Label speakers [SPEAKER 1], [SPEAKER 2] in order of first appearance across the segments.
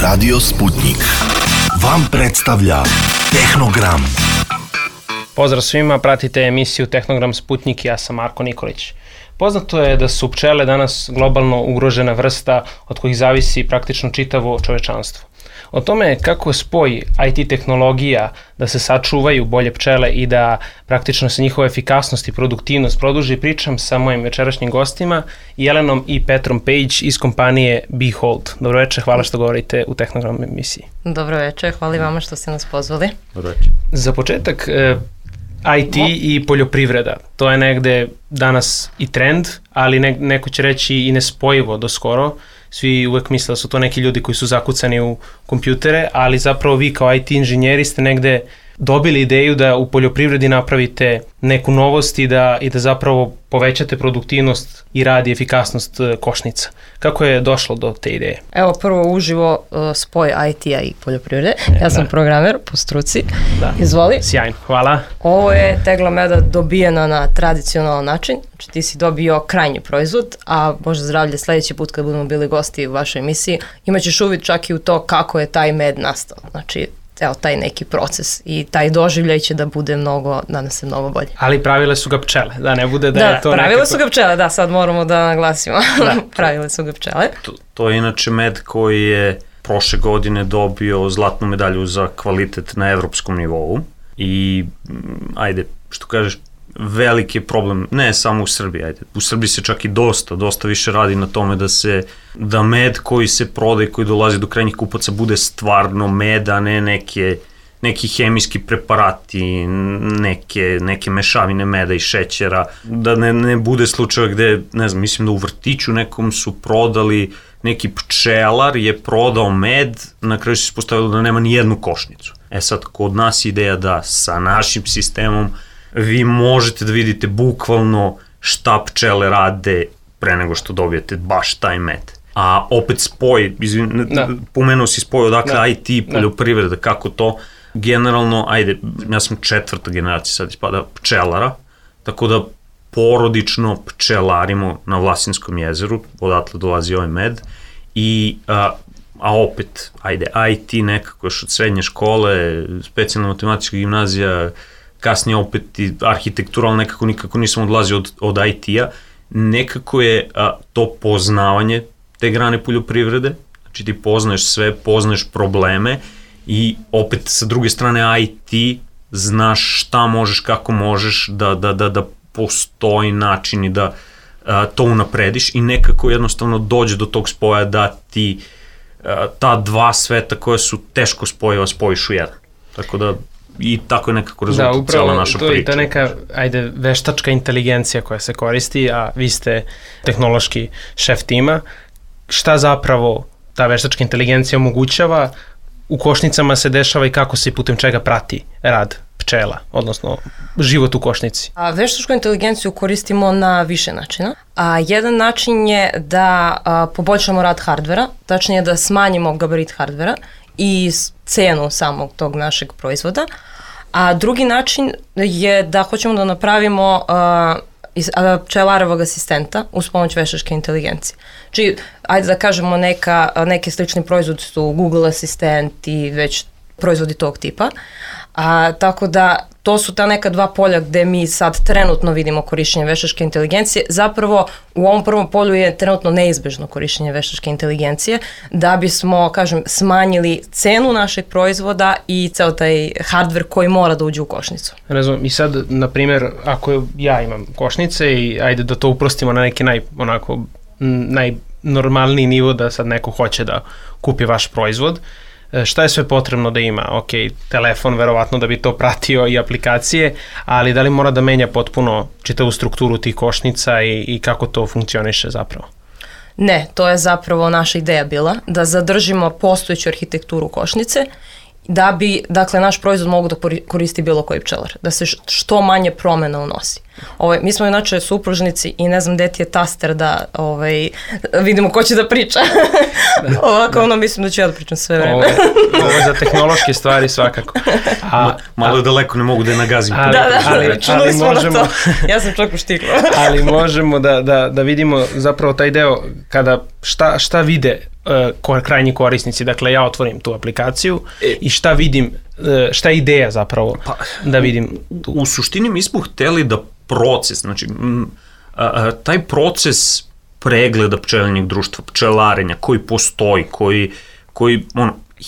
[SPEAKER 1] Radio Sputnik vam predstavlja Tehnogram.
[SPEAKER 2] Pozdrav svima, pratite emisiju Tehnogram Sputnik, ja sam Marko Nikolić. Poznato je da su pčele danas globalno ugrožena vrsta od kojih zavisi praktično čitavo čovečanstvo. O tome kako spoj IT tehnologija da se sačuvaju bolje pčele i da praktično se njihova efikasnost i produktivnost produži, pričam sa mojim večerašnjim gostima, Jelenom i Petrom Page iz kompanije Behold. Dobro večer, hvala što govorite u Tehnogram emisiji.
[SPEAKER 3] Dobro večer, hvala i vama što ste nas pozvali.
[SPEAKER 4] Dobro večer.
[SPEAKER 2] Za početak, IT i poljoprivreda, to je negde danas i trend, ali neko će reći i nespojivo do skoro. Svi uvek misle da su to neki ljudi koji su zakucani u kompjutere, ali zapravo vi kao IT inženjeri ste negde dobili ideju da u poljoprivredi napravite neku novost i da zapravo povećate produktivnost i rad i efikasnost košnica. Kako je došlo do te ideje?
[SPEAKER 3] Evo prvo uživo spoj IT-a i poljoprivrede. Ja sam programer po struci.
[SPEAKER 2] Da.
[SPEAKER 3] Izvoli.
[SPEAKER 2] Sjajno, hvala.
[SPEAKER 3] Ovo je tegla meda dobijena na tradicionalan način. Znači ti si dobio krajnji proizvod, a Bože zdravlje, sledeći put kad budemo bili gosti u vašoj emisiji, imaćeš uvid čak i u to kako je taj med nastao. Znači evo taj neki proces i taj doživljaj će da bude mnogo, nadam se, mnogo bolje.
[SPEAKER 2] Ali pravile su ga pčele, da ne bude da je to nekako... Da,
[SPEAKER 3] pravile su ga pčele, da, sad moramo da naglasimo. Da. Pravile su ga pčele.
[SPEAKER 4] To je inače med koji je prošle godine dobio zlatnu medalju za kvalitet na evropskom nivou i, ajde, što kažeš, veliki problem, ne samo u Srbiji, u Srbiji se čak i dosta više radi na tome da med koji se prodaje, koji dolazi do krajnjih kupaca bude stvarno med, a ne neki hemijski preparati, neke mešavine meda i šećera, da ne bude slučaja gde, ne znam, mislim da u vrtiću nekom su prodali, neki pčelar je prodao med, na kraju se ispostavilo da nema ni jednu košnicu. Sad, kod nas ideja da sa našim sistemom vi možete da vidite bukvalno šta pčele rade pre nego što dobijete baš taj med. A opet spoj, pomenuo si spoj odakle IT i poljoprivreda, kako to, generalno, ja sam 4. generacija sad ispada pčelara, tako da porodično pčelarimo na Vlasinskom jezeru, odatle dolazi ovaj med, a opet, IT nekako još od srednje škole, specijalna matematička gimnazija, kasnije opet i arhitekturalno nikako nisam odlazio od IT-a, nekako je to poznavanje te grane poljoprivrede, znači ti poznaješ sve, poznaješ probleme i opet sa druge strane IT, znaš šta možeš, kako možeš da postoji način i da to unaprediš i nekako jednostavno dođe do tog spoja da ti ta dva sveta koja su teško spojiva spojiš u jedan. Tako da i tako je nekako rezultat cijela naša priča. Da, upravo, to je ta neka,
[SPEAKER 2] veštačka inteligencija koja se koristi, a vi ste tehnološki šef tima. Šta zapravo ta veštačka inteligencija omogućava, u košnicama se dešava i kako se i putem čega prati rad pčela, odnosno život u košnici?
[SPEAKER 3] Veštačku inteligenciju koristimo na više načina. Jedan način je da poboljšamo rad hardvera, tačnije da smanjimo gabarit hardvera i cenu samog tog našeg proizvoda. A drugi način je da hoćemo da napravimo pčelarovog asistenta uz pomoć veštačke inteligencije. Znači, ajde da kažemo neki slični proizvodi su Google asistent i već proizvodi tog tipa. Tako da to su ta neka dva polja gde mi sad trenutno vidimo korišćenje veštačke inteligencije. Zapravo u ovom prvom polju je trenutno neizbežno korišćenje veštačke inteligencije da bismo, smanjili cenu našeg proizvoda i ceo taj hardware koji mora da uđe u košnicu.
[SPEAKER 2] Razumem. I sad, na primjer, ako ja imam košnice i ajde da to uprostimo na neki najnormalniji nivo da sad neko hoće da kupi vaš proizvod, šta je sve potrebno da ima? Ok, telefon verovatno da bi to pratio i aplikacije, ali da li mora da menja potpuno čitavu strukturu tih košnica i kako to funkcioniše zapravo?
[SPEAKER 3] Ne, to je zapravo naša ideja bila, da zadržimo postojeću arhitekturu košnice, da bi, dakle, naš proizvod mogu da koristi bilo koji pčelar, da se što manje promena unosi. Mi smo inače supružnici i ne znam gde ti je taster da vidimo ko će da priča. Ovako, mislim da ću ja da pričam sve vreme.
[SPEAKER 2] Ovo je za tehnološke stvari svakako.
[SPEAKER 4] Malo daleko, ne mogu da je nagazim.
[SPEAKER 3] Da, čunuli smo na to. Ja sam čak uštikla.
[SPEAKER 2] Ali možemo da vidimo zapravo taj deo kada šta vide krajnji korisnici. Dakle, ja otvorim tu aplikaciju i šta vidim, šta je ideja zapravo da vidim tu?
[SPEAKER 4] U suštini mi smo hteli da proces, znači taj proces pregleda pčelinjeg društva, pčelarenja koji postoji, koji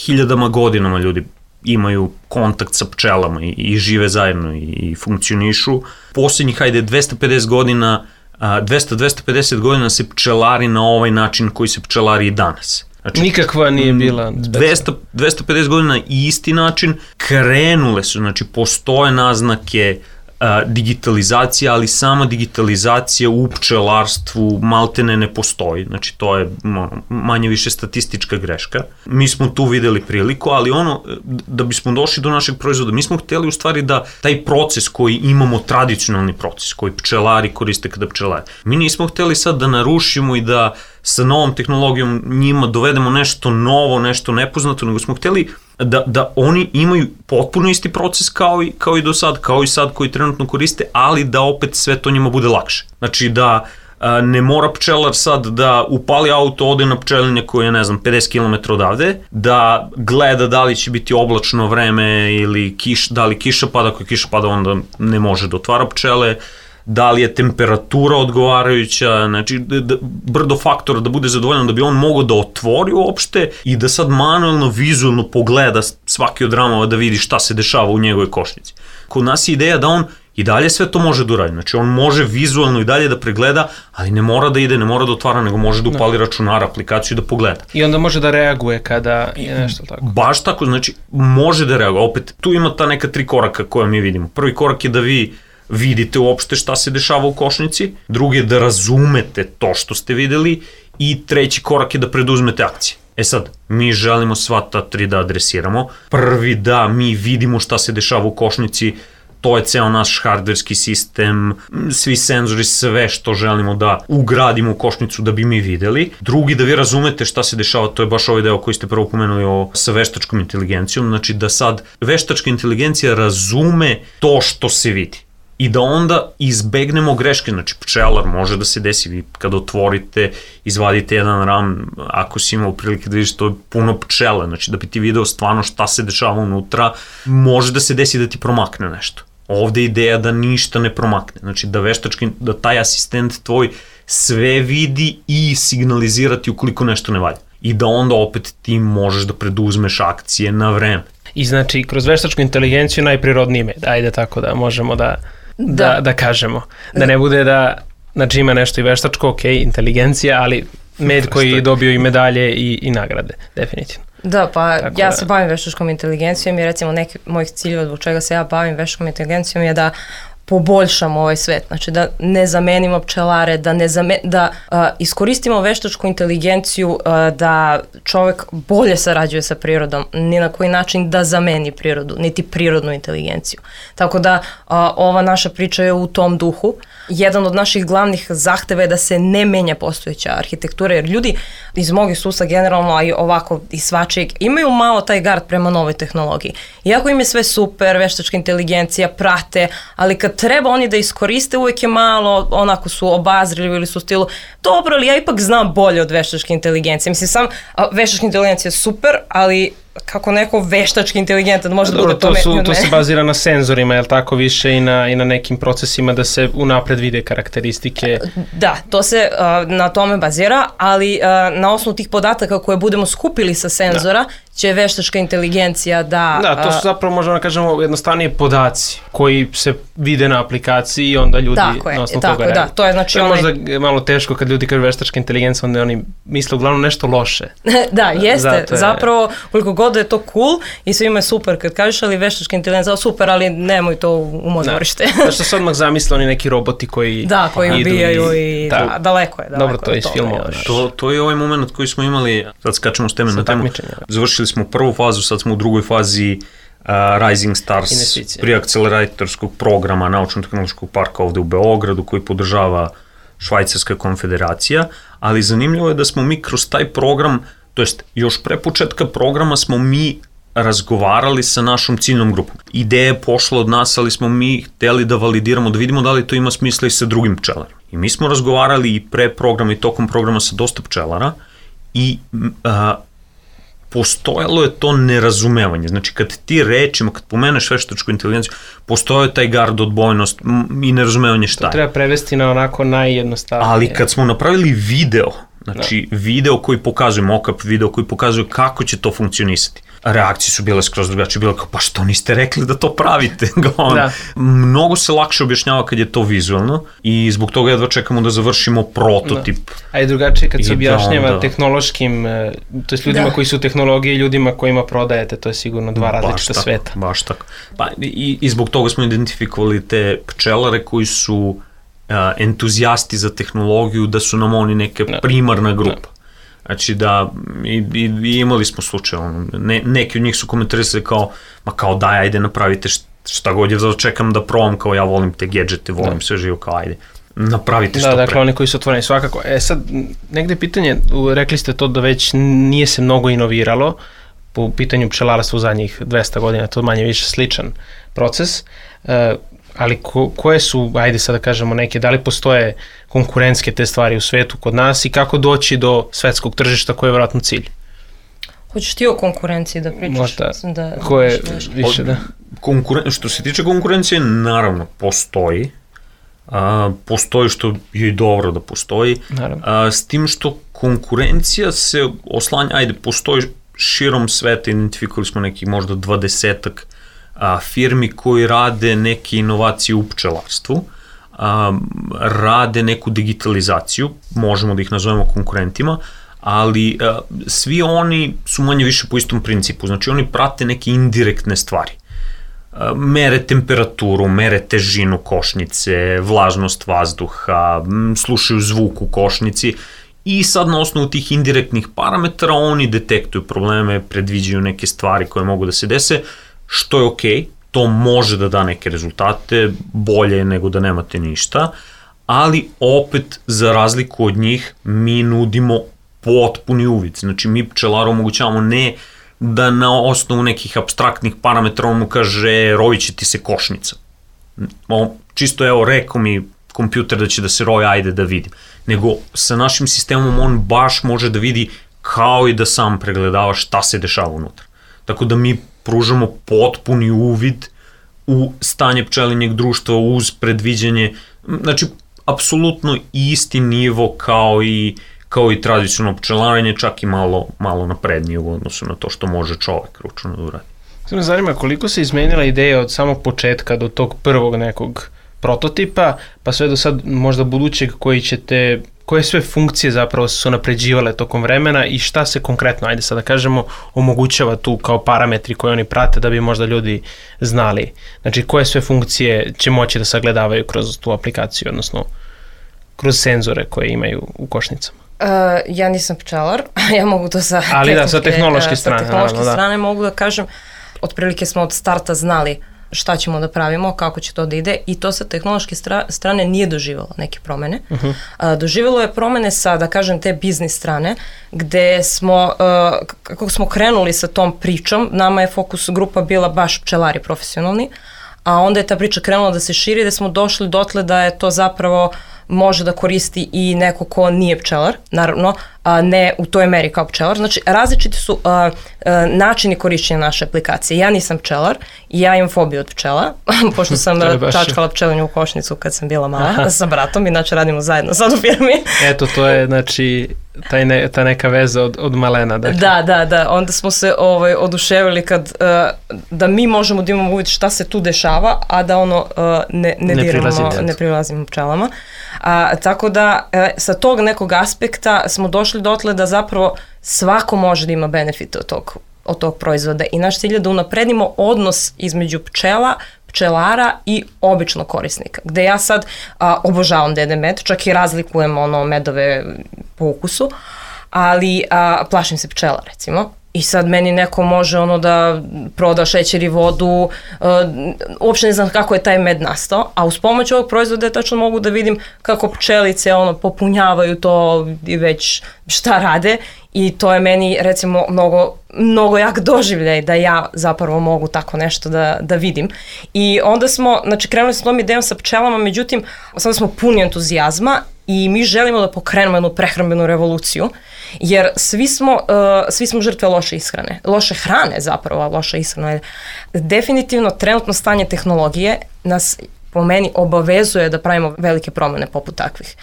[SPEAKER 4] hiljadama godinama ljudi imaju kontakt sa pčelama i žive zajedno i funkcionišu. Posljednjih, 250 godina 250 godina se pčelari na ovaj način koji se pčelari i danas. Znači,
[SPEAKER 2] nikakva nije bila
[SPEAKER 4] 250 godina isti način, krenule su, znači postoje naznake digitalizacija, ali sama digitalizacija u pčelarstvu maltene ne postoji, znači to je manje više statistička greška. Mi smo tu videli priliku, ali da bismo došli do našeg proizvoda, mi smo htjeli u stvari da taj proces koji imamo, tradicionalni proces koji pčelari koriste kada pčelare, mi nismo htjeli sad da narušimo i da sa novom tehnologijom njima dovedemo nešto novo, nešto nepoznato, nego smo htjeli da oni imaju potpuno isti proces kao i do sad, kao i sad koji trenutno koriste, ali da opet sve to njima bude lakše. Znači da ne mora pčelar sad da upali auto, ode na pčelinje koje je, 50 km odavde, da gleda da li će biti oblačno vreme ili da li kiša pada, ako je kiša pada onda ne može da otvara pčele, da li je temperatura odgovarajuća, znači brdo faktora da bude zadovoljan da bi on mogao da otvori uopšte i da sad manuelno, vizualno pogleda svaki od ramova da vidi šta se dešava u njegovoj košnici. Kod nas je ideja da on i dalje sve to može da uradi, znači on može vizualno i dalje da pregleda, ali ne mora da ide, ne mora da otvara, nego može da upali računar, aplikaciju i da pogleda.
[SPEAKER 2] I onda može da reaguje kada je nešto tako.
[SPEAKER 4] Baš tako, znači može da reaguje. Opet, tu ima ta neka 3 koraka koja mi vidimo. Prvi korak je da vi vidite uopšte šta se dešava u košnici, drugi je da razumete to što ste videli i treći korak je da preduzmete akcije. Sad, mi želimo sva ta 3 da adresiramo. Prvi da mi vidimo šta se dešava u košnici, to je ceo naš hardverski sistem, svi senzori, sve što želimo da ugradimo u košnicu da bi mi videli. Drugi, da vi razumete šta se dešava, to je baš ovaj deo koji ste prvo pomenuli sa veštačkom inteligencijom, znači da sad veštačka inteligencija razume to što se vidi. I da onda izbegnemo greške, znači pčelar može da se desi, vi kada otvorite, izvadite jedan ram, ako si imao prilike da vidiš, to je puno pčele, znači da bi ti video stvarno šta se dešava unutra, može da se desi da ti promakne nešto. Ovde je ideja da ništa ne promakne, znači da taj asistent tvoj sve vidi i signalizirati ukoliko nešto ne valja. I da onda opet ti možeš da preduzmeš akcije na vreme.
[SPEAKER 2] I znači, kroz veštačku inteligenciju najprirodniji med, ajde tako da možemo da kažemo. Da ne bude da, znači ima nešto i veštačko, ok, inteligencija, ali med koji je dobio i medalje i nagrade, definitivno.
[SPEAKER 3] Da, pa tako ja se bavim veštačkom inteligencijom i recimo neki mojih ciljeva zbog čega se ja bavim veštačkom inteligencijom je da poboljšamo ovaj svet, znači da ne zamenimo pčelare, da iskoristimo veštačku inteligenciju, da čovek bolje sarađuje sa prirodom, ni na koji način da zameni prirodu, niti prirodnu inteligenciju. Tako da ova naša priča je u tom duhu. Jedan od naših glavnih zahteva je da se ne menja postojeća arhitektura, jer ljudi iz mog iskustva generalno, a i ovako i svačijeg, imaju malo taj gard prema novoj tehnologiji. Iako im je sve super, veštačka inteligencija, prate, ali kad treba oni da iskoriste, uvijek je malo, onako su obazrili ili su u stilu, dobro, ali ja ipak znam bolje od veštačke inteligencije. Mislim, veštačka inteligencija je super, ali kako neko veštački inteligentan može da bude pametniji od mene.
[SPEAKER 2] To se bazira na senzorima, je li tako, više i na nekim procesima da se unapred vide karakteristike?
[SPEAKER 3] Da, to se na tome bazira, ali na osnovu tih podataka koje budemo skupili sa senzora, će veštačka inteligencija da...
[SPEAKER 2] Da, to su zapravo, možemo da kažemo, jednostavnije podaci koji se vide na aplikaciji i onda ljudi na osnovu toga reaguju.
[SPEAKER 3] Da, to je znači...
[SPEAKER 2] To je možda malo teško kad ljudi kažu veštačka inteligencija, onda oni misle uglavnom nešto loše.
[SPEAKER 3] Da, jeste. Zapravo, koliko god da je to cool i svima je super kad kažeš, ali veštačka inteligencija, super, ali nemoj to u moj dvorište.
[SPEAKER 2] Da, što se odmah zamisle oni neki roboti koji
[SPEAKER 3] da, koji ubijaju i daleko je.
[SPEAKER 2] Dobro, to je iz filmova.
[SPEAKER 4] To je ovaj moment koji smo imali, sad skačemo s teme na temu, završili smo prvu fazu, sad smo u drugoj fazi Rising Stars preakceleratorskog programa Naučno-tehnološkog parka ovde u Beogradu koji podržava Švajcarska konfederacija, ali zanimljivo je da smo mi kroz taj program, to jest još pre početka programa smo mi razgovarali sa našom ciljnom grupom. Ideja je pošla od nas, ali smo mi hteli da validiramo, da vidimo da li to ima smisla i sa drugim pčelarima. I mi smo razgovarali i pre programa i tokom programa sa dosta pčelara i postojalo je to nerazumevanje. Znači, kad ti rečima, kad pomeneš veštačku inteligenciju, postojao je taj gard, odbojnost i nerazumevanje šta je.
[SPEAKER 2] To treba prevesti na onako najjednostavnije.
[SPEAKER 4] Ali kad smo napravili video, znači video koji pokazuje, mock-up video koji pokazuje kako će to funkcionisati, reakcije su bile skroz drugačije, bilo kao, pa što niste rekli da to pravite? Mnogo se lakše objašnjava kad je to vizualno i zbog toga jedva čekamo da završimo prototip.
[SPEAKER 2] A i drugačije kad se objašnjava tehnološkim, to je ljudima koji su u tehnologiji i ljudima kojima prodajete, to je sigurno dva različita sveta.
[SPEAKER 4] Baš tako. Pa, i zbog toga smo identifikovali te pčelare koji su entuzijasti za tehnologiju, da su nam oni neka primarna grupa. Znači da, i imali smo slučaj, neki od njih su komentarisali kao, ma kao daj, ajde napravite šta god je, čekam da probam, kao ja volim te gadgete, volim sve živo, kao ajde, napravite što pre.
[SPEAKER 2] Dakle, oni koji su otvoreni svakako. Sad, negde pitanje, rekli ste to da već nije se mnogo inoviralo po pitanju pčelarstva u zadnjih 200 godina, to manje više sličan proces, ali koje su, ajde sad da kažemo neke, da li postoje konkurentske te stvari u svetu kod nas i kako doći do svetskog tržišta koji je vjerojatno cilj?
[SPEAKER 3] Hoćeš ti o konkurenciji da pričaš?
[SPEAKER 2] Možda, ko je više, da.
[SPEAKER 4] Što se tiče konkurencije, naravno, postoji. Postoji što je i dobro da postoji. S tim što konkurencija se oslanja, ajde, postoji širom sveta, identifikovali smo nekih možda 20-ak firmi koji rade neke inovacije u pčelarstvu, rade neku digitalizaciju, možemo da ih nazovemo konkurentima, ali svi oni su manje više po istom principu, znači oni prate neke indirektne stvari. Mere temperaturu, mere težinu košnice, vlažnost vazduha, slušaju zvuk u košnici i sad na osnovu tih indirektnih parametara oni detektuju probleme, predviđaju neke stvari koje mogu da se dese, što je okej, to može da da neke rezultate, bolje nego da nemate ništa, ali opet za razliku od njih mi nudimo potpuni uvid, znači mi pčelaru omogućavamo ne da na osnovu nekih apstraktnih parametra on mu kaže rojit će ti se košnica. Čisto evo rekao mi kompjuter da će da se roje, ajde da vidim. Nego sa našim sistemom on baš može da vidi kao i da sam pregledava šta se dešava unutra. Tako da mi pružamo potpuni uvid u stanje pčelinjeg društva uz predviđanje, znači apsolutno isti nivo kao i tradicionalno pčelarenje, čak i malo naprednije u odnosu na to što može čovek ručno da uradi.
[SPEAKER 2] Sve me zanima koliko se izmenila ideja od samog početka do tog prvog nekog prototipa, pa sve do sad možda budućeg koje sve funkcije zapravo su napređivale tokom vremena i šta se konkretno, ajde sad da kažemo, omogućava tu kao parametri koje oni prate da bi možda ljudi znali. Znači koje sve funkcije će moći da sagledavaju kroz tu aplikaciju, odnosno kroz senzore koje imaju u košnicama.
[SPEAKER 3] Ja nisam pčelar, ja mogu to sa
[SPEAKER 2] tehnološke strane.
[SPEAKER 3] Sa tehnološke strane mogu da kažem, otprilike smo od starta znali šta ćemo da pravimo, kako će to da ide i to sa tehnološke strane nije doživjelo neke promene. Doživjelo je promene sa, da kažem, te biznis strane, gde smo, kako smo krenuli sa tom pričom, nama je fokus grupa bila baš pčelari profesionalni, a onda je ta priča krenula da se širi, da smo došli dotle da je to zapravo može da koristi i neko ko nije pčelar, naravno, ne u toj meri kao pčelar. Znači, različiti su načini korišćenja naše aplikacije. Ja nisam pčelar i ja imam fobiju od pčela, pošto sam čačkala pčelinju u košnicu kad sam bila mala sa bratom, inače radimo zajedno sad u firmi.
[SPEAKER 2] Eto, to je, znači, ta neka veza od malena. Dakle.
[SPEAKER 3] Da, onda smo se oduševili da mi možemo da imamo uvid šta se tu dešava, a da ne prilazimo pčelama. Tako da sa tog nekog aspekta smo došli dotle da zapravo svako može da ima benefite od tog proizvoda i naš cilj je da unapredimo odnos između pčelara i običnog korisnika, gde ja sad obožavam dede med, čak i razlikujem medove po ukusu, ali plašim se pčela recimo. I sad meni neko može da proda šećer i vodu, uopšte ne znam kako je taj med nastao, a uz pomoć ovog proizvoda tačno mogu da vidim kako pčelice popunjavaju to i već šta rade i to je meni recimo mnogo jak doživljaj da ja zapravo mogu tako nešto da vidim. I onda smo, znači krenuli smo tom idejom sa pčelama, međutim sada smo puni entuzijazma i mi želimo da pokrenemo jednu prehrambenu revoluciju Jer svi smo žrtve loše ishrane. Loše hrane zapravo, a loša ishrana je definitivno trenutno stanje tehnologije nas po meni obavezuje da pravimo velike promene poput takvih.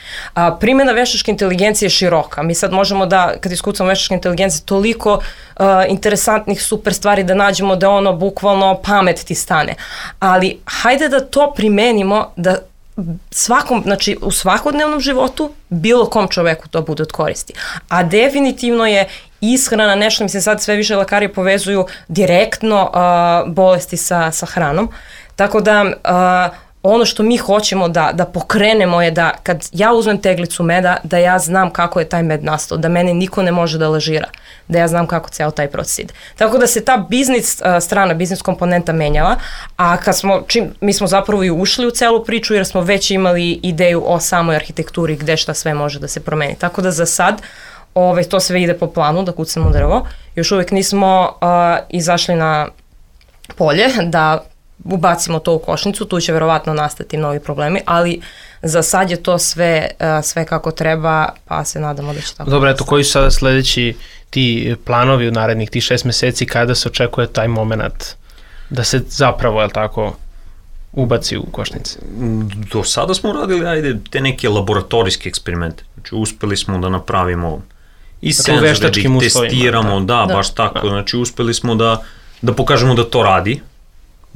[SPEAKER 3] Primjena veštačke inteligencije je široka. Mi sad možemo da, kad iskucamo veštačke inteligencije, toliko interesantnih super stvari da nađemo da ono bukvalno pamet ti stane. Ali hajde da to primenimo da znači u svakodnevnom životu bilo kom čoveku to bude od koristi. A definitivno je ishrana nešto, mislim sad sve više lekari povezuju direktno bolesti sa hranom. Tako da ono što mi hoćemo da pokrenemo je da kad ja uzmem teglicu meda, da ja znam kako je taj med nastao, da mene niko ne može da lažira, da ja znam kako ceo taj proces ide. Tako da se ta biznis strana, biznis komponenta menjala, a mi smo zapravo i ušli u celu priču jer smo već imali ideju o samoj arhitekturi gde šta sve može da se promeni. Tako da za sad to sve ide po planu, da kucamo drvo. Još uvek nismo izašli na polje da ubacimo to u košnicu, tu će verovatno nastati novi problemi, ali za sad je to sve kako treba, pa se nadamo da će tako.
[SPEAKER 2] Dobro, eto, koji su sada sledeći ti planovi u narednih tih 6 meseci, kada se očekuje taj moment da se zapravo, je li tako, ubaci u košnice?
[SPEAKER 4] Do sada smo radili, te neke laboratorijske eksperimente. Znači, uspeli smo da napravimo i senzore, da ih testiramo, da, baš tako. Znači, uspeli smo da pokažemo da to radi,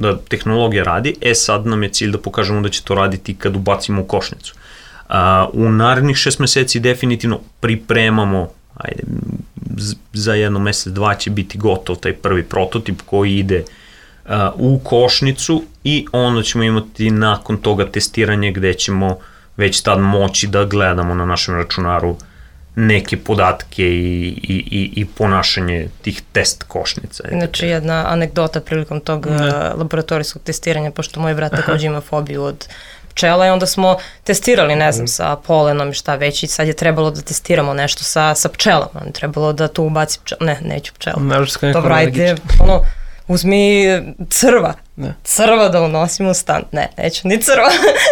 [SPEAKER 4] da tehnologija radi, sad nam je cilj da pokažemo da će to raditi kad ubacimo u košnicu. U narednih 6 meseci definitivno pripremamo, za 1 mesec, 2 će biti gotov taj prvi prototip koji ide u košnicu i onda ćemo imati nakon toga testiranje gde ćemo već tad moći da gledamo na našem računaru neke podatke i ponašanje tih test košnica.
[SPEAKER 3] Znači jedna anegdota prilikom tog laboratorijskog testiranja, pošto moj brat takođe ima fobiju od pčela i onda smo testirali, ne znam, sa polenom i šta već i sad je trebalo da testiramo nešto sa pčelama. Trebalo da tu ubaci neću pčela. Dobro, ajde, uzmi crva. Crva da unosimo u stan. Neću ni crva.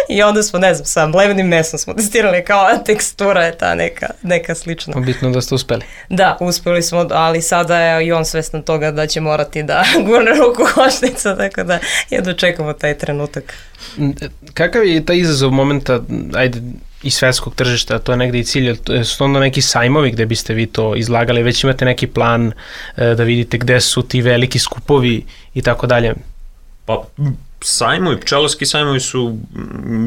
[SPEAKER 3] I onda smo, ne znam, sa mlevenim mesom smo testirali kao tekstura je ta neka slična.
[SPEAKER 2] Bitno da ste uspeli.
[SPEAKER 3] Da, uspeli smo, ali sada je i on svestan toga da će morati da gurne ruku košnica, tako da jedno čekamo taj trenutak.
[SPEAKER 2] Kakav je taj izazov momenta, i svetskog tržišta, to je negde i cilj, su onda neki sajmovi gde biste vi to izlagali, već imate neki plan da vidite gde su ti veliki skupovi i tako dalje?
[SPEAKER 4] Pa sajmovi, pčelarski sajmovi su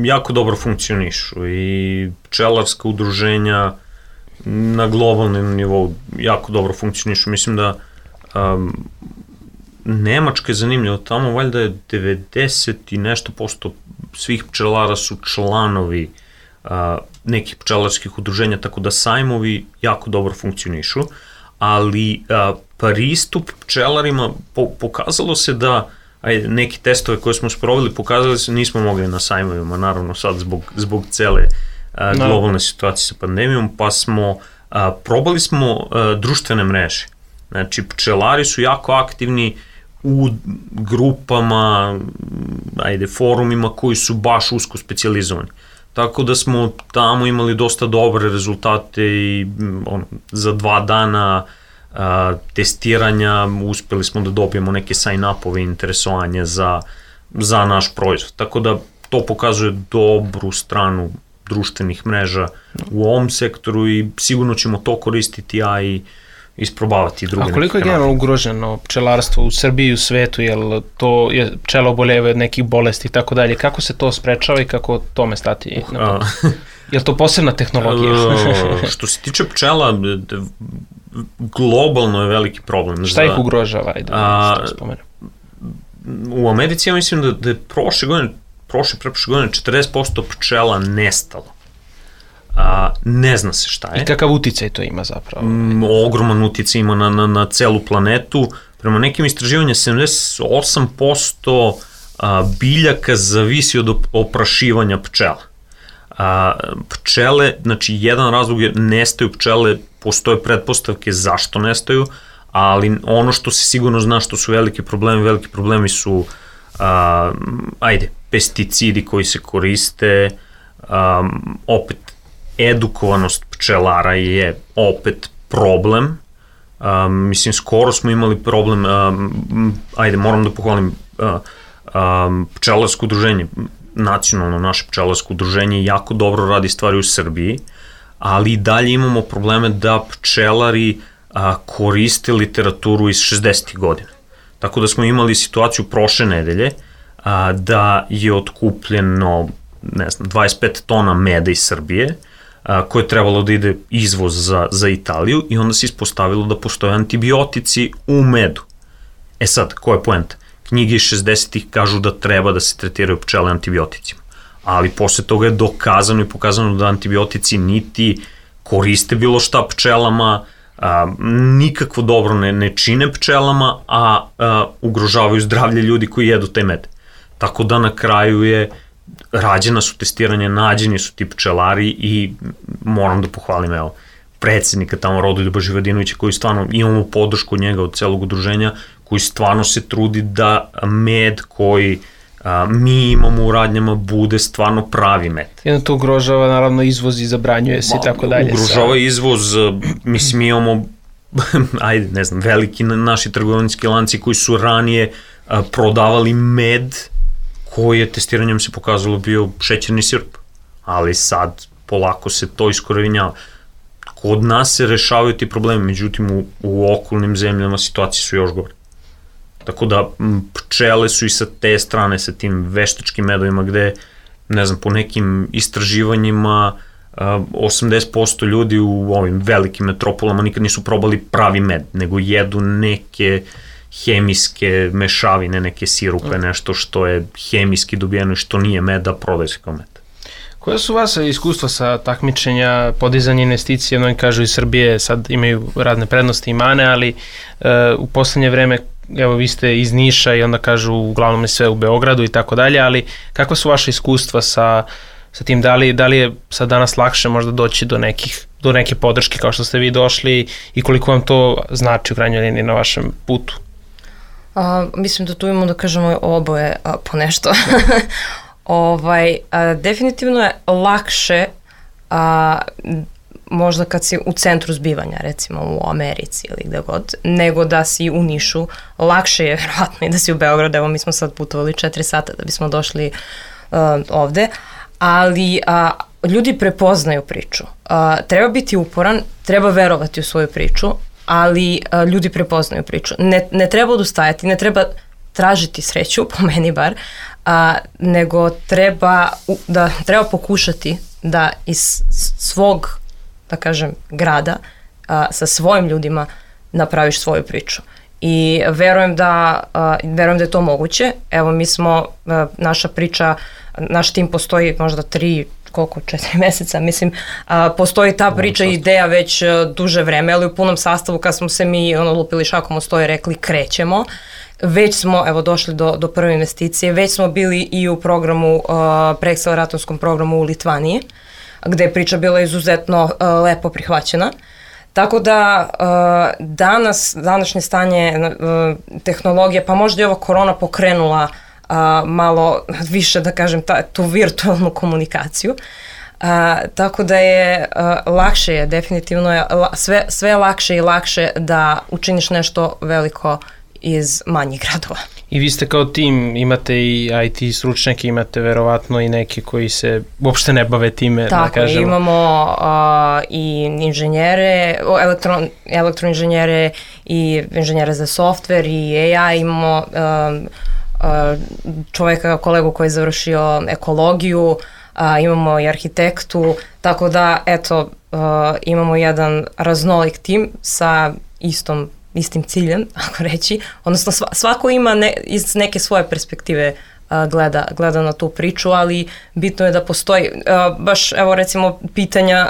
[SPEAKER 4] jako dobro funkcionišu i pčelarska udruženja na globalnom nivou jako dobro funkcionišu. Mislim da Nemačka je zanimljiva, tamo valjda je 90 i nešto posto svih pčelara su članovi nekih pčelarskih udruženja, tako da sajmovi jako dobro funkcionišu, ali pristup pčelarima pokazalo se da neki testove koje smo sproveli pokazali se nismo mogli na sajmovima, naravno sad zbog cele globalne situacije sa pandemijom, pa probali smo društvene mreže. Znači, pčelari su jako aktivni u grupama, forumima koji su baš usko specijalizovani. Tako da smo tamo imali dosta dobre rezultate i za 2 dana testiranja uspeli smo da dobijemo neke sign-upove i interesovanje za naš proizvod. Tako da to pokazuje dobru stranu društvenih mreža u ovom sektoru i sigurno ćemo to koristiti, a i isprobavati druge.
[SPEAKER 2] A koliko je generalno ugroženo pčelarstvo u Srbiji i u svetu, jel to je pčela oboljevaju od nekih bolesti i tako dalje, kako se to sprečava i kako tome stati na put? Je to posebna tehnologija?
[SPEAKER 4] Što se tiče pčela, globalno je veliki problem.
[SPEAKER 2] Šta ih ugrožava?
[SPEAKER 4] U Americi ja mislim da je prošle godine 40% pčela nestalo. Ne zna se šta je.
[SPEAKER 2] I kakav uticaj to ima zapravo?
[SPEAKER 4] Ogroman uticaj ima na celu planetu. Prema nekim istraživanjima 78% biljaka zavisi od oprašivanja pčela. Pčele, znači jedan razlog je nestaju pčele, postoje pretpostavke zašto nestaju, ali ono što se sigurno zna što su veliki problemi su pesticidi koji se koriste, opet edukovanost pčelara je opet problem. Mislim, skoro smo imali problem, moram da pohvalim pčelarsko udruženje, nacionalno naše pčelarsko udruženje jako dobro radi stvari u Srbiji, ali i dalje imamo probleme da pčelari koriste literaturu iz 60. godina. Tako da smo imali situaciju prošle nedelje da je otkupljeno 25 tona meda iz Srbije, koje je trebalo da ide izvoz za Italiju i onda se ispostavilo da postoje antibiotici u medu. E sad, koja je poenta? Knjige iz 60-ih kažu da treba da se tretiraju pčele antibioticima, ali posle toga je dokazano i pokazano da antibiotici niti koriste bilo šta pčelama, nikakvo dobro ne čine pčelama, a ugrožavaju zdravlje ljudi koji jedu taj med. Tako da na kraju rađena su testiranja, nađeni su ti pčelari i moram da pohvalim, predsednika tamo Rodoljuba Živadinovića, koji stvarno, imamo podršku od njega, od celog udruženja, koji stvarno se trudi da med koji mi imamo u radnjama bude stvarno pravi med.
[SPEAKER 2] Jedno to ugrožava naravno izvoz i zabranjuje se i tako dalje.
[SPEAKER 4] Ugrožava izvoz, mislim mi imamo veliki naši trgovinski lanci koji su ranije prodavali med koji je testiranjem se pokazalo bio šećerni sirup, ali sad polako se to iskorenjava. Kod nas se rešavaju ti problemi, međutim u okolnim zemljama situacije su još gore. Tako da pčele su i sa te strane, sa tim veštačkim medovima gde, po nekim istraživanjima 80% ljudi u ovim velikim metropolama nikad nisu probali pravi med, nego jedu neke hemijske mešavine, neke sirupe, nešto što je hemijski dobijeno i što nije med, a prodaje se kao med.
[SPEAKER 2] Koja su vas iskustva sa takmičenja, podizanje investicije, mnogi kažu iz Srbije sad imaju razne prednosti i mane, ali u poslednje vreme, evo vi ste iz Niša i onda kažu uglavnom je sve u Beogradu i tako dalje, ali kakva su vaše iskustva sa tim, da li je sad danas lakše možda doći do neke podrške kao što ste vi došli i koliko vam to znači u krajnjoj liniji na vašem putu?
[SPEAKER 3] Mislim da tu imamo da kažemo oboje po nešto. Definitivno je lakše možda kad si u centru zbivanja, recimo u Americi ili gde god, nego da si u Nišu. Lakše je verovatno i da si u Beogradu, evo mi smo sad putovali 4 sata da bismo došli ovde, ali ljudi prepoznaju priču. Treba biti uporan, treba verovati u svoju priču, ali ljudi prepoznaju priču. Ne treba odustajati, ne treba tražiti sreću, po meni bar, nego treba pokušati da iz svog, da kažem, grada sa svojim ljudima napraviš svoju priču. I verujem da je to moguće. Evo mi smo, naša priča, naš tim postoji možda 4 meseca, mislim, postoji ta priča i ideja već duže vreme, ali u punom sastavu kad smo se mi lupili šakom o sto i rekli krećemo, već smo, evo, došli do prve investicije, već smo bili i u programu, preakceleratorskom programu u Litvaniji, gde je priča bila izuzetno lepo prihvaćena. Tako da današnje stanje tehnologije, pa možda je ova korona pokrenula malo više, da kažem, tu virtualnu komunikaciju. Tako da je lakše je, definitivno je sve lakše i lakše da učiniš nešto veliko iz manjih gradova.
[SPEAKER 2] I vi ste kao tim, imate i IT stručnjake, imate verovatno i neki koji se uopšte ne bave time, da kažemo.
[SPEAKER 3] Tako, imamo i inženjere, elektroinženjere i inženjere za softver i AI, imamo čoveka, kolegu koji je završio ekologiju, imamo i arhitektu, tako da, eto, imamo jedan raznolik tim sa istim ciljem, ako reći, odnosno svako ima iz neke svoje perspektive gleda na tu priču, ali bitno je da postoji, baš evo recimo pitanja,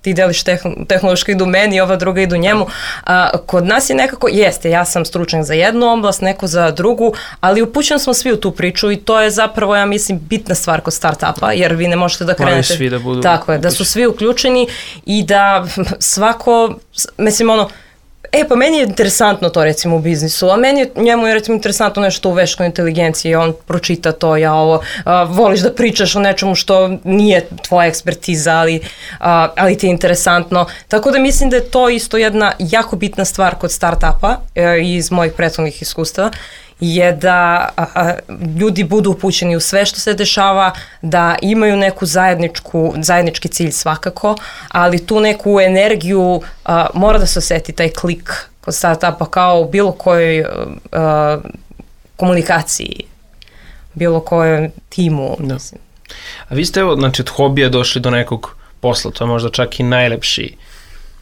[SPEAKER 3] ti deliš tehnološko idu meni, ova druga idu njemu, kod nas je nekako, ja sam stručnjak za jednu oblast, neko za drugu, ali upućeni smo svi u tu priču i to je zapravo, ja mislim, bitna stvar kod start-upa, jer vi ne možete da krenete.
[SPEAKER 2] Svi da budu
[SPEAKER 3] tako je, da su svi uključeni i da svako, mislim pa meni je interesantno to recimo u biznisu, a njemu je recimo interesantno nešto u veštačkoj inteligenciji, on pročita to, voliš da pričaš o nečemu što nije tvoja ekspertiza, ali ti je interesantno. Tako da mislim da je to isto jedna jako bitna stvar kod startupa iz mojih prethodnih iskustava, je da ljudi budu upućeni u sve što se dešava, da imaju neku zajednički cilj svakako, ali tu neku energiju mora da se oseti taj klik kod startupa kao u bilo kojoj komunikaciji, bilo kojem timu.
[SPEAKER 2] Da. A vi ste znači od hobija došli do nekog posla, to je možda čak i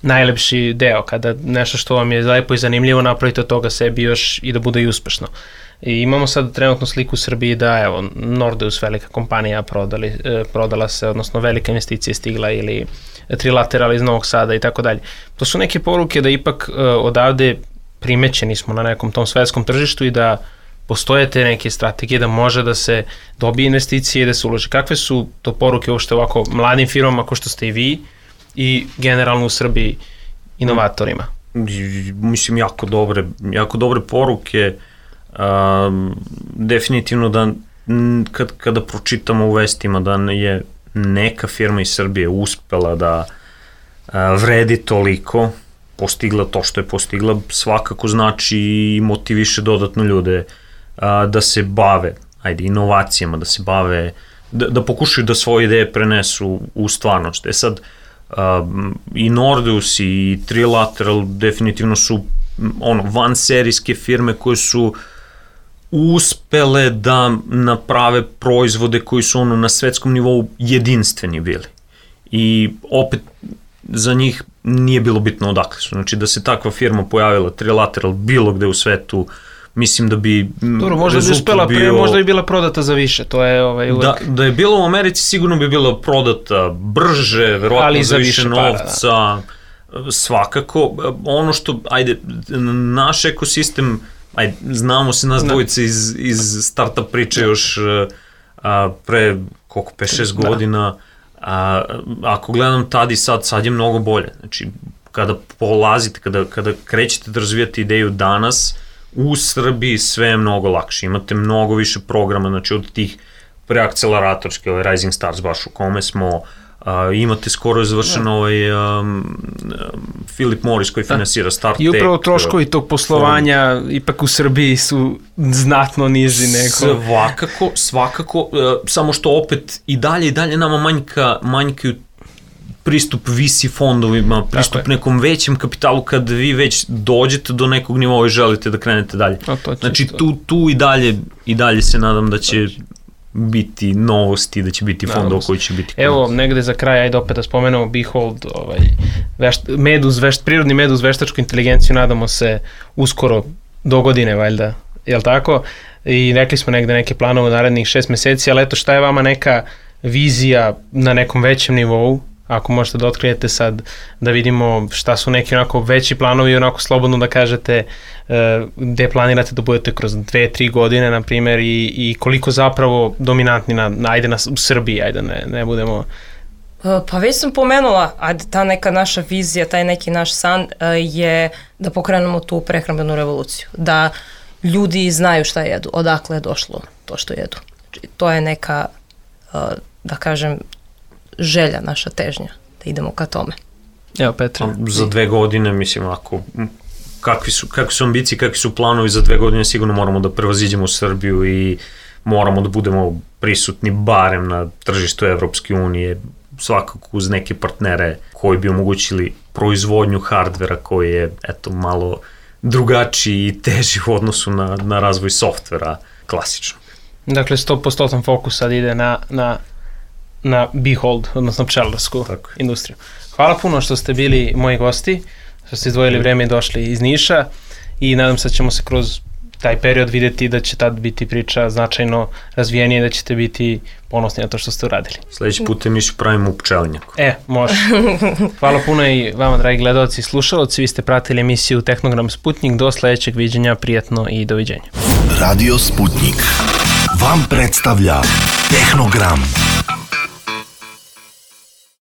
[SPEAKER 2] najlepši deo, kada nešto što vam je lepo i zanimljivo napravite od toga sebi još i da bude i uspešno. I imamo sad trenutno sliku u Srbiji da, evo, Nordeus, velika kompanija, prodala se, odnosno velika investicija stigla, ili Trilateral iz Novog Sada i tako dalje. To su neke poruke da ipak odavde primećeni smo na nekom tom svetskom tržištu i da postoje te neke strategije da može da se dobije investicije i da se uloži. Kakve su to poruke uopšte ovako mladim firmama kao što ste i vi i generalno u Srbiji inovatorima?
[SPEAKER 4] Mislim, jako dobre poruke. Definitivno da kada pročitamo u vestima da je neka firma iz Srbije uspela da vredi toliko, postigla to što je postigla, svakako znači i motiviše dodatno ljude da se bave inovacijama, da se bave, da pokušaju da svoje ideje prenesu u stvarnost. Sad, i Nordeus i Trilateral definitivno su vanserijske firme koje su uspele da naprave proizvode koji su na svetskom nivou jedinstveni bili. I opet za njih nije bilo bitno odakle su. Znači da se takva firma pojavila, Trilateral, bilo gde u svetu, mislim da bi
[SPEAKER 2] možda bi uspela pre, možda bi bila prodata za više, to je uvek... Da
[SPEAKER 4] je bila u Americi sigurno bi bila prodata brže, verovatno za više novca, svakako. Ono što, naš ekosistem, znamo se nas dvojice iz startup priče još pre, 5-6 godina, ako gledam tad i sad je mnogo bolje. Znači, kada polazite, kada krećete da razvijate ideju danas, u Srbiji sve je mnogo lakše. Imate mnogo više programa, znači od tih preakceleratorske, Rising Stars baš u kome smo, imate skoro završen Philip Morris koji finansira Startech.
[SPEAKER 2] I upravo troškovi tog poslovanja ipak u Srbiji su znatno niži nego...
[SPEAKER 4] Svakako, samo što opet i dalje nama manjkaju pristup VC fondovima, pristup nekom većem kapitalu kad vi već dođete do nekog nivoa i želite da krenete dalje. Znači tu i dalje se nadam da će biti novosti, da će biti fondova koji će biti...
[SPEAKER 2] Evo, negde za kraj, ajde opet da spomenemo Behold, prirodni med uz veštačku inteligenciju, nadamo se uskoro do godine, valjda, jel tako? I rekli smo negde neke planove u narednih 6 meseci, ali eto, šta je vama neka vizija na nekom većem nivou, ako možete da otkrijete sad, da vidimo šta su neki onako veći planovi i onako slobodno da kažete gde planirate da budete kroz 2-3 godine, na primjer, i koliko zapravo dominantni u Srbiji, ne budemo...
[SPEAKER 3] Pa već sam pomenula, ta neka naša vizija, taj neki naš san je da pokrenemo tu prehrambenu revoluciju, da ljudi znaju šta jedu, odakle je došlo to što jedu. To je neka, da kažem, želja, naša težnja, da idemo ka tome.
[SPEAKER 2] Evo, Petra.
[SPEAKER 4] Za 2 godine, mislim, kakvi su ambicije, kakvi su planovi za 2 godine, sigurno moramo da prevaziđemo Srbiju i moramo da budemo prisutni barem na tržištu Evropske unije, svakako uz neke partnere koji bi omogućili proizvodnju hardvera koji je, malo drugačiji i teži u odnosu na razvoj softvera klasično.
[SPEAKER 2] Dakle, 100% fokus sad ide na Behold, odnosno pčelarsku industriju. Hvala puno što ste bili moji gosti, što ste izdvojili vreme i došli iz Niša i nadam se da ćemo se kroz taj period videti da će tad biti priča značajno razvijenije i da ćete biti ponosni na to što ste uradili.
[SPEAKER 4] Sljedeći put Nišu pravimo u pčelinjaku.
[SPEAKER 2] Može. Hvala puno i vama, dragi gledalci i slušalci. Vi ste pratili emisiju Tehnogram Sputnik. Do sljedećeg viđenja, prijatno i doviđenja.
[SPEAKER 1] Radio Sputnik vam predstavlja Tehnogram.